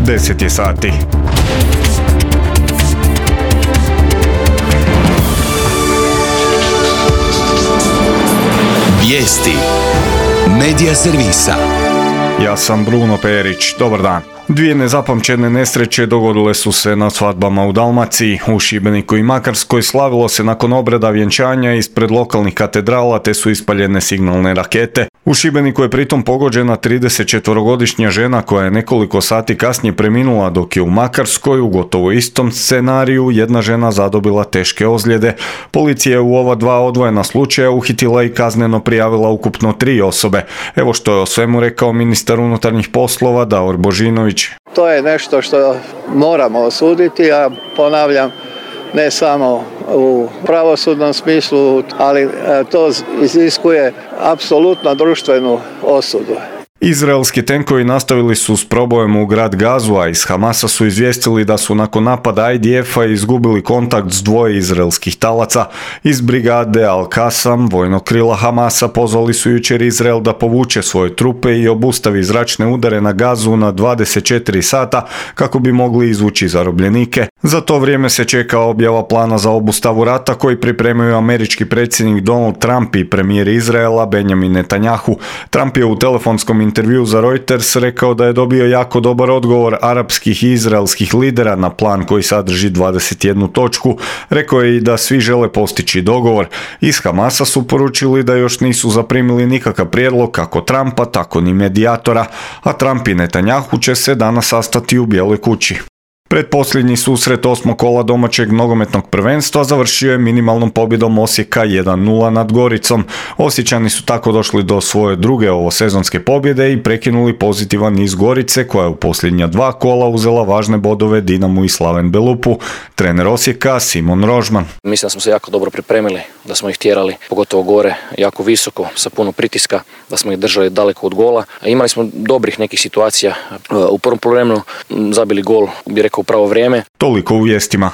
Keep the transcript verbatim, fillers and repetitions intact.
deset je sati. Vijesti Medija servisa. Ja sam Bruno Perić, dobar dan. Dvije nezapamćene nesreće dogodile su se na svadbama u Dalmaciji. U Šibeniku i Makarskoj slavilo se nakon obreda vjenčanja ispred lokalnih katedrala te su ispaljene signalne rakete. U Šibeniku je pritom pogođena tridesetčetvorogodišnja žena koja je nekoliko sati kasnije preminula, dok je u Makarskoj u gotovo istom scenariju jedna žena zadobila teške ozljede. Policija je u ova dva odvojena slučaja uhitila i kazneno prijavila ukupno tri osobe. Evo što je o svemu rekao ministar unutarnjih poslova Davor Božinović. To je nešto što moramo osuditi, a ponavljam, ne samo u pravosudnom smislu, ali to iziskuje apsolutno društvenu osudu. Izraelski tenkovi nastavili su s probojem u grad Gazu, a iz Hamasa su izvijestili da su nakon napada I D F-a izgubili kontakt s dvoje izraelskih talaca. Iz brigade Al-Qassam, vojnog krila Hamasa, pozvali su jučer Izrael da povuče svoje trupe i obustavi zračne udare na Gazu na dvadeset četiri sata kako bi mogli izvući zarobljenike. Za to vrijeme se čeka objava plana za obustavu rata koji pripremaju američki predsjednik Donald Trump i premijer Izraela Benjamin Netanjahu. Trump je u telefonskom intervju za Reuters rekao da je dobio jako dobar odgovor arapskih i izraelskih lidera na plan koji sadrži dvadeset jednu točku. Rekao je i da svi žele postići dogovor. Iz Hamasa su poručili da još nisu zaprimili nikakav prijedlog kako Trumpa, tako ni medijatora, a Trump i Netanjahu će se danas sastati u Bijeloj kući. Pretposljednji susret osmog kola domaćeg nogometnog prvenstva završio je minimalnom pobjedom Osijeka jedan nula nad Goricom. Osječani su tako došli do svoje druge ovosezonske pobjede i prekinuli pozitivan niz Gorice koja je u posljednja dva kola uzela važne bodove Dinamu i Slaven Belupu. Trener Osijeka Simon Rožman. Mislim da smo se jako dobro pripremili, da smo ih tjerali pogotovo gore, jako visoko, sa puno pritiska, da smo ih držali daleko od gola. Imali smo dobrih nekih situacija. U prvom poluvremenu zabili gol, bi rekao, u pravo vrijeme. Toliko u vijestima.